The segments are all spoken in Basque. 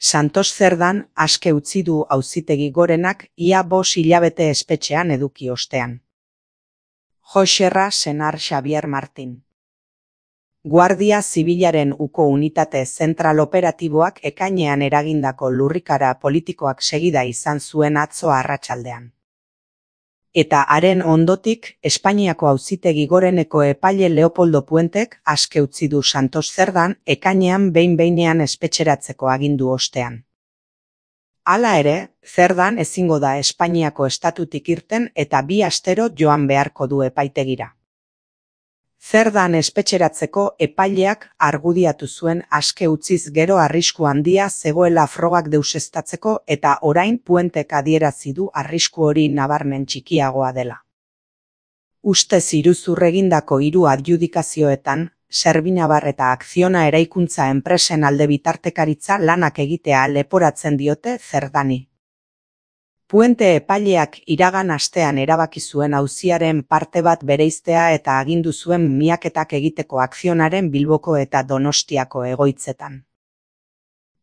Santos Zerdan aske utzi du Auzitegi Gorenak ia 5 hilabete espetxean eduki ostean. Joxerra senar Xavier Martin. Guardia Zibilaren uko unitate zentral operatiboak ekainean eragindako lurrikara politikoak segida izan zuen atzo arratsaldean. Eta haren ondotik, Espainiako Auzitegi Goreneko epaile Leopoldo Puentek aske utzi du Santos Zerdan ekainean behin-behinean espetxeratzeko agindu ostean. Hala ere, Zerdan ezingo da Espainiako estatutik irten eta 2 astero joan beharko du epaitegira. Zerdan espetxeratzeko epaileak argudiatu zuen aske utziz gero arrisku handia zegoela frogak deuseztatzeko eta orain Puentek adierazi du arrisku hori nabarmen txikiagoa dela. Ustez iruzur egindako 3 adjudikazioetan, Servinabar eta Akziona eraikuntza enpresen alde bitartekaritza lanak egitea leporatzen diote Zerdani. Puente epaileak iragan astean erabaki zuen auziaren parte bat bereiztea eta agindu zuen miaketak egiteko Akzionaren Bilboko eta Donostiako egoitzetan.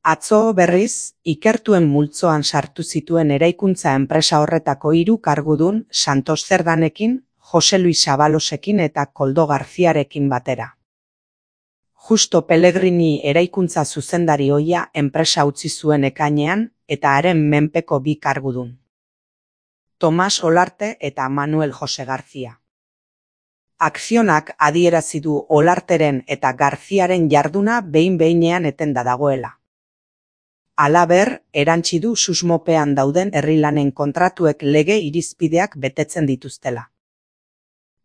Atzo berriz, ikertuen multzoan sartu zituen eraikuntza enpresa horretako 3 kargudun Santos Zerdanekin, Jose Luis Abalosekin eta Koldo Garziarekin batera. Justo Pellegrini eraikuntza zuzendari ohia enpresa utzi zuen ekainean eta haren menpeko 2 kargudun. Tomas Olarte eta Manuel Jose García. Akzionak adierazi du Olarteren eta Garziaren jarduna behin-behinean etenda dagoela. Halaber, erantsi du susmopean dauden herri-lanen kontratuek lege irizpideak betetzen dituztela.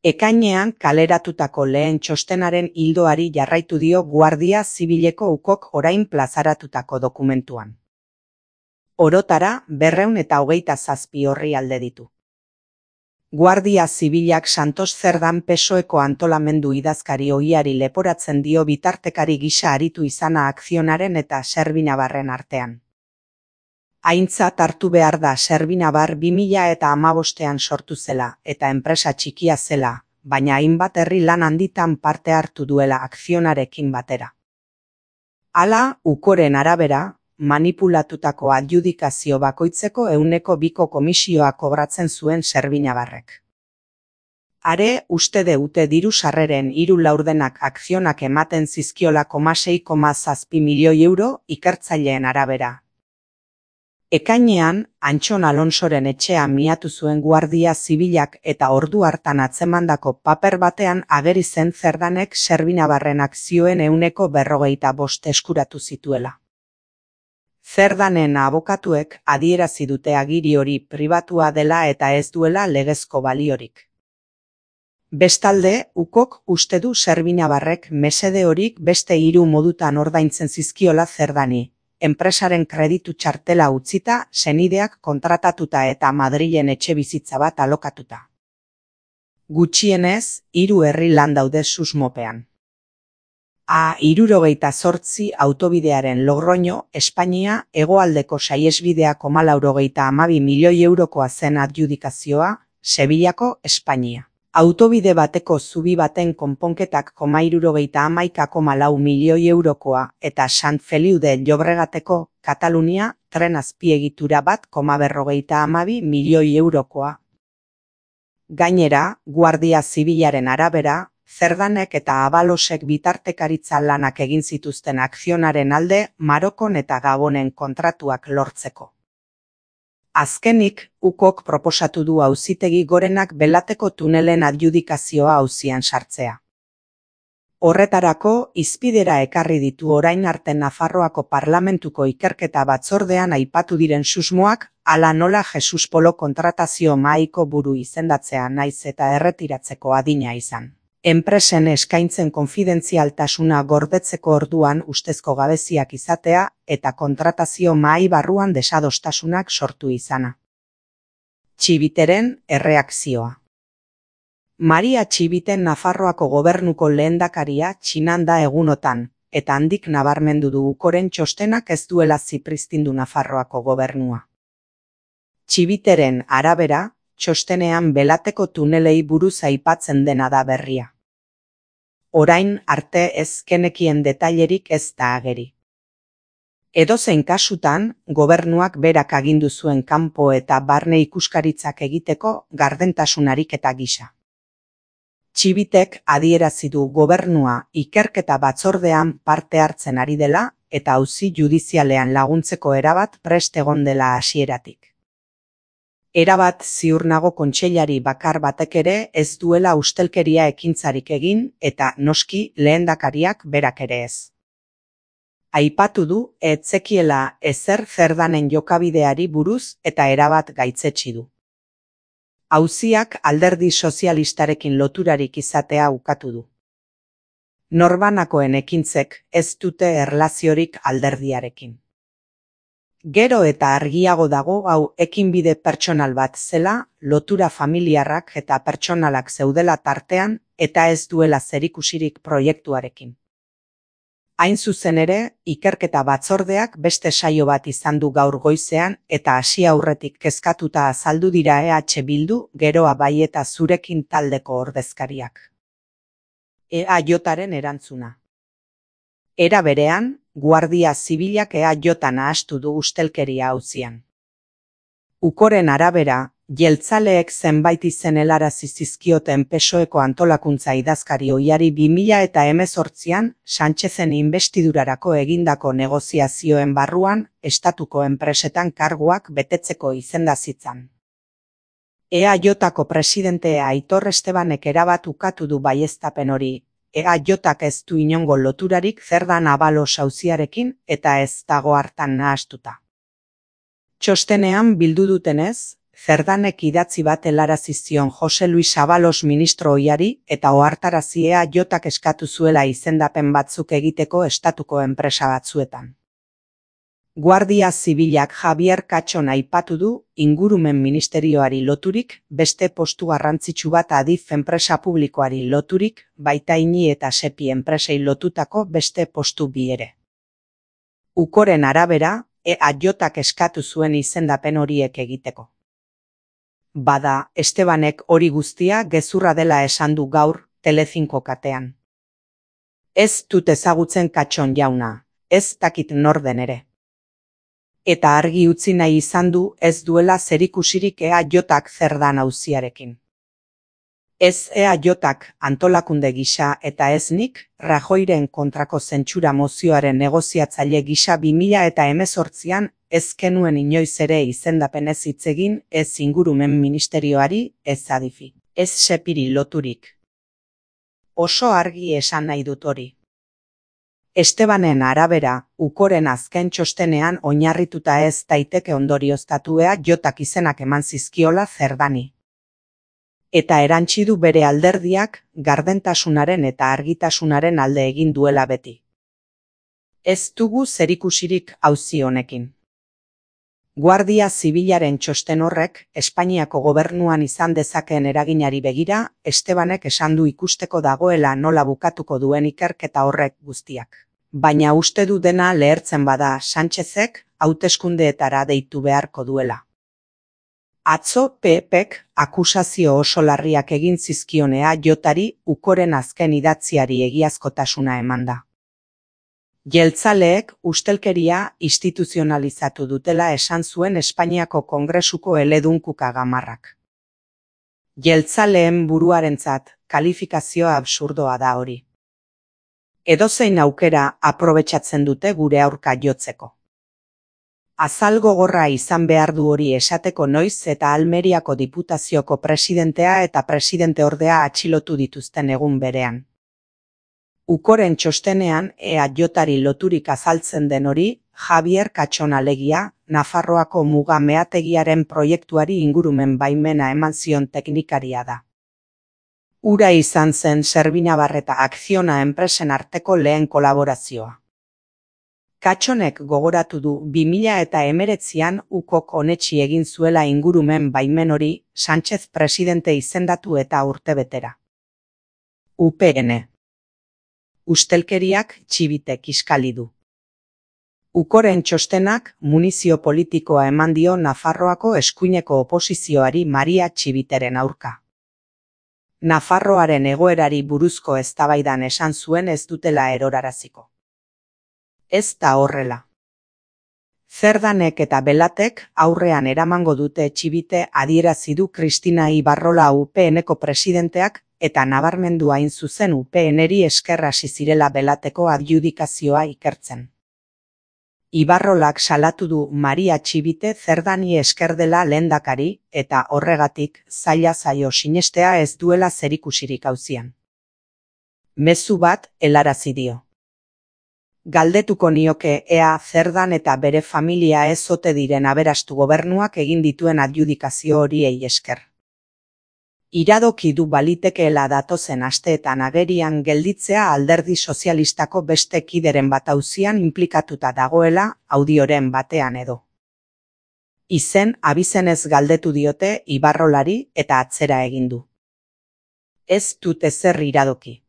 Ekainean kaleratutako lehen txostenaren ildoari jarraitu dio Guardia Zibileko ukok orain plazaratutako dokumentuan. Orotara 227 orrialde ditu. Guardia Zibilak Santos Zerdan PSOEko antolamendu idazkari ohiari leporatzen dio bitartekari gisa aritu izana Akzionaren eta Servinabarren artean. Aintzat hartu behar da Servinabar 2015ean sortu zela eta enpresa txikia zela, baina hainbat herri lan handitan parte hartu duela Akzionarekin batera. Hala, ukoren arabera, manipulatutako adjudikazio bakoitzeko 102ko komisioa kobratzen zuen Servinabarrek. Are, uste deute diru sarreren 3 laurdenak Akzionak ematen zizkiola 6,7 milioi euro ikertzaileen arabera. Ekainean, Antxon Alonsoren etxea miatu zuen Guardia Zibilak eta ordu hartan atzemandako paper batean ageri zen Zerdanek Servinabarren akzioen 45% eskuratu zituela. Zerdanen abokatuek adierazi dute agiri hori pribatua dela eta ez duela legezko baliorik. Bestalde, ukok uste du Servinabarrek mesede horik beste 3 modutan ordaintzen zizkiola Zerdani. Enpresaren kreditu txartela utzita, senideak kontratatuta eta Madrilen etxebizitza bat alokatuta. Gutxienez, 3 herri lan daude susmopean. A68 autobidearen Logroño, Espainia, hegoaldeko saihesbidea 492 milioi eurokoa zen adjudikazioa, Sevillako, Espainia. Autobide bateko zubi baten konponketak 311,4 milioi eurokoa eta Sant Feliu de Llobregateko, Katalunia, tren azpiegitura bat 52 milioi eurokoa. Gainera, Guardia Zibilaren arabera, Zerdanek eta Abalosek bitartekaritza lanak egin zituzten Akzionaren alde Marokon eta Gabonen kontratuak lortzeko. Azkenik, ukok proposatu du Auzitegi Gorenak Belateko tunelen adjudikazioa auzian sartzea. Horretarako, hizpidera ekarri ditu orain arte Nafarroako Parlamentuko ikerketa batzordean aipatu diren susmoak, hala nola Jesus Polo kontratazio mahaiko buru izendatzea naiz eta erretiratzeko adina izan. Enpresen eskaintzen konfidentzialtasuna gordetzeko orduan ustezko gabeziak izatea eta kontratazio mahai barruan desadostasunak sortu izana. Txibiteren erreakzioa. Maria Txibiten Nafarroako gobernuko lehendakaria Txinan da egunotan, eta handik nabarmendu du ukoren txostenak ez duela zipristindu Nafarroako gobernua. Txibiteren arabera, txostenean Belateko tunelei buruz aipatzen dena da berria. Orain arte ez genekien detailerik ez da ageri. Edozein kasutan, gobernuak berak agindu zuen kanpo eta barne ikuskaritzak egiteko gardentasun ariketa gisa. Txibitek adierazi du gobernua ikerketa batzordean parte hartzen ari dela eta auzi judizialean laguntzeko erabat prest egon dela hasieratik. Erabat ziur nago kontseilari bakar batek ere ez duela ustelkeria ekintzarik egin eta noski lehendakariak berak ere ez. Aipatu du ez zekiela ezer Cerdanen jokabideari buruz eta erabat gaitzetsi du. Auziak alderdi sozialistarekin loturarik izatea ukatu du. Norbanakoen ekintzek ez dute erlaziorik alderdiarekin. Gero eta argiago dago hau ekinbide pertsonal bat zela, lotura familiarrak eta pertsonalak zeudela tartean eta ez duela zerikusirik proiektuarekin. Hain zuzen ere, ikerketa batzordeak beste saio bat izan du gaur goizean eta hasi aurretik kezkatuta azaldu dira EH Bildu, Geroa bai eta Zurekin taldeko ordezkariak. EAJaren erantzuna. Era berean, Guardia Zibilak EAJ nahastu du ustelkeria auzian. Ukoren arabera, jeltzaleek zenbait izen helarazi zizkioten PSOEko antolakuntza idazkari ohiari 2018an Sánchezen inbestidurarako egindako negoziazioen barruan estatuko enpresetan karguak betetzeko izenda zitzan. EAJko presidentea Aitor Estebanek erabat ukatu du baieztapen hori. EAJak ez du inongo loturarik Cerdan Abalos auziarekin eta ez dago hartan nahastuta. Txostenean bildu dutenez, Cerdanek idatzi bat helarazi zion Jose Luis Abalos ministro ohiari eta ohartarazi EAJak eskatu zuela izendapen batzuk egiteko estatuko enpresa batzuetan. Guardia Zibilak Javier Katxon aipatu du ingurumen ministerioari loturik, beste postu garrantzitsu bat Adif enpresa publikoari loturik, baita INI eta SEPI enpresei lotutako beste postu bi ere. Ukoren arabera, EAJak eskatu zuen izendapen horiek egiteko. Bada, Estebanek hori guztia gezurra dela esan du gaur Telecinco katean. Ez dut ezagutzen Katxon jauna, ez dakit nor den ere. Eta argi utzi nahi izan du ez duela zerikusirik EAJak Cerdan auziarekin. Ez EAJak antolakunde gisa eta ez nik Rajoyren kontrako zentsura mozioaren negoziatzaile gisa 2018an ez genuen inoiz ere izendapenez hitz egin ez ingurumen ministerioari, ez Adifi, ez SEPIri loturik. Oso argi esan nahi dut hori. Estebanen arabera, Ukoren azken txostenean oinarrituta ez daiteke ondorioztatu EAJak izenak eman zizkiola Cerdani. Eta erantsi du bere alderdiak gardentasunaren eta argitasunaren alde egin duela beti. Ez dugu zerikusirik auzi honekin. Guardia Zibilaren txosten horrek Espainiako gobernuan izan dezakeen eraginari begira, Estebanek esan du ikusteko dagoela nola bukatuko duen ikerketa horrek guztiak. Baina uste du dena lehertzen bada Sánchezek hauteskundeetara deitu beharko duela. Atzo PPk akusazio oso larriak egin zizkion EAJari Ukoren azken idatziari egiazkotasuna emanda. Jeltzaleek ustelkeria instituzionalizatu dutela esan zuen Espainiako Kongresuko eledunkuka gamarrak. Jeltzaleen buruarentzat kalifikazioa absurdoa da hori. Edozein aukera aprobetxatzen dute gure aurka jotzeko. Azal gogorra izan behar du hori esateko noiz eta Almeriako Diputazioko presidentea eta presidenteordea atxilotu dituzten egun berean. Ukoren txostenean EAJari loturik azaltzen den hori, Javier Katxon alegia, Nafarroako muga meategiaren proiektuari ingurumen baimena eman zion teknikaria da. Hura izan zen Servinabar eta Akziona enpresen arteko lehen kolaborazioa. Katxonek gogoratu du 2019an Ukok onetsi egin zuela ingurumen baimen hori Sánchez presidente izendatu eta urtebetera. UPN. Ustelkeriak Txibitek kiskali du. Ukoren txostenak munizio politikoa eman dio Nafarroako eskuineko oposizioari Maria Txibiteren aurka. Nafarroaren egoerari buruzko eztabaidan esan zuen ez dutela eroraraziko. Ez da horrela. Zerdanek eta Belatek aurrean eramango dute Txibite adierazi du Kristina Ibarrola UPNeko presidenteak eta nabarmendu hain zuzen UPNeri esker hasi zirela Belateko adjudikazioa ikertzen. Ibarrolak salatu du Maria Txibite Zerdani esker dela lehendakari eta horregatik zaila zaio sinestea ez duela zerikusirik auzian. Mezu bat helarazi dio. Galdetuko nioke ea Zerdan eta bere familia ez ote diren aberastu gobernuak egin dituen adjudikazio horiei esker. Iradoki du balitekeela datozen asteetan agerian gelditzea Alderdi Sozialistako beste kideren bat auzian inplikatuta dagoela audioren batean edo. Izen abizenez galdetu diote Ibarrolari eta atzera egin du. Ez dut ezer iradoki.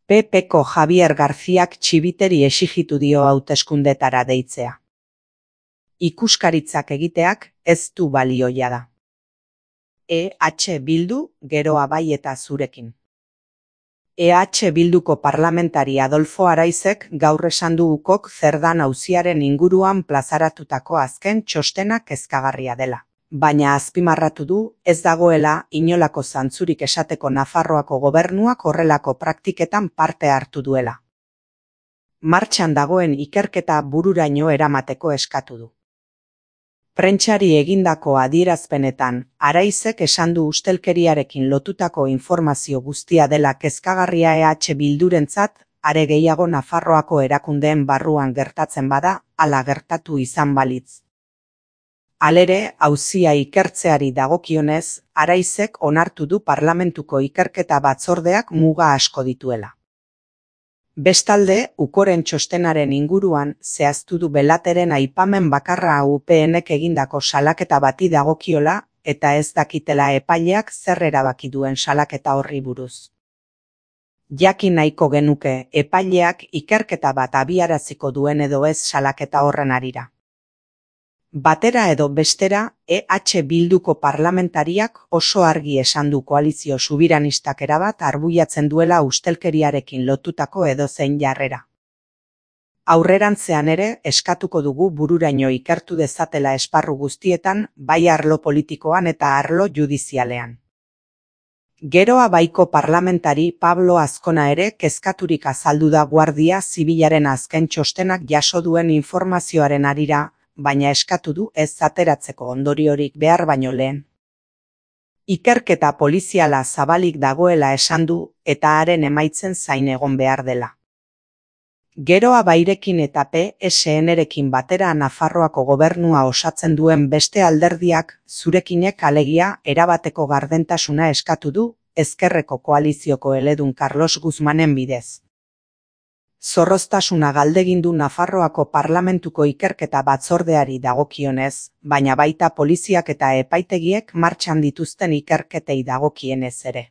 PPko Javier Garziak Txibiteri exigitu dio hauteskundetara deitzea. Ikuskaritzak egiteak ez du balioia da. EH Bildu geroa bai eta zurekin. EH Bilduko parlamentari Adolfo Araizek gaur esan du ukok Zerdan auziaren inguruan plazaratutako azken txostena kezkagarria dela. Baina azpimarratu du ez dagoela inolako zantzurik esateko Nafarroako gobernuak horrelako praktiketan parte hartu duela. Martxan dagoen ikerketa bururaino eramateko eskatu du. Prentsari egindako adierazpenetan, Araizek esan du ustelkeriarekin lotutako informazio guztia dela kezkagarria EH Bildurentzat, are gehiago Nafarroako erakundeen barruan gertatzen bada, hala gertatu izan balitz. Halere, auzia ikertzeari dagokionez, Araizek onartu du parlamentuko ikerketa batzordeak muga asko dituela. Bestalde, ukoren txostenaren inguruan zehaztu du Belateren aipamen bakarra UPNek egindako salaketa bati dagokiola eta ez dakitela epaileak zer erabaki duen salaketa horri buruz. Jakin nahiko genuke epaileak ikerketa bat abiaraziko duen edo ez salaketa horren harira. Batera edo bestera, EH Bilduko parlamentariak oso argi esan du koalizio subiranistak erabat arbuiatzen duela ustelkeriarekin lotutako edozein jarrera. Aurrerantzean ere eskatuko dugu bururaino ikertu dezatela esparru guztietan, bai arlo politikoan eta arlo judizialean. Geroa baiko parlamentari Pablo Azkona ere kezkaturik azaldu da Guardia Zibilaren azken txostenak jaso duen informazioaren harira, baina eskatu du ez ateratzeko ondoriorik behar baino lehen. Ikerketa poliziala zabalik dagoela esan du eta haren emaitzen zain egon behar dela. Geroa bairekin eta PSN-rekin batera Nafarroako gobernua osatzen duen beste alderdiak zurekinek alegia erabateko gardentasuna eskatu du ezkerreko koalizioko eledun Carlos Guzmanen bidez. Zorroztasuna galdegin du Nafarroako parlamentuko ikerketa batzordeari dagokionez, baina baita poliziak eta epaitegiek martxan dituzten ikerketei dagokienez ere.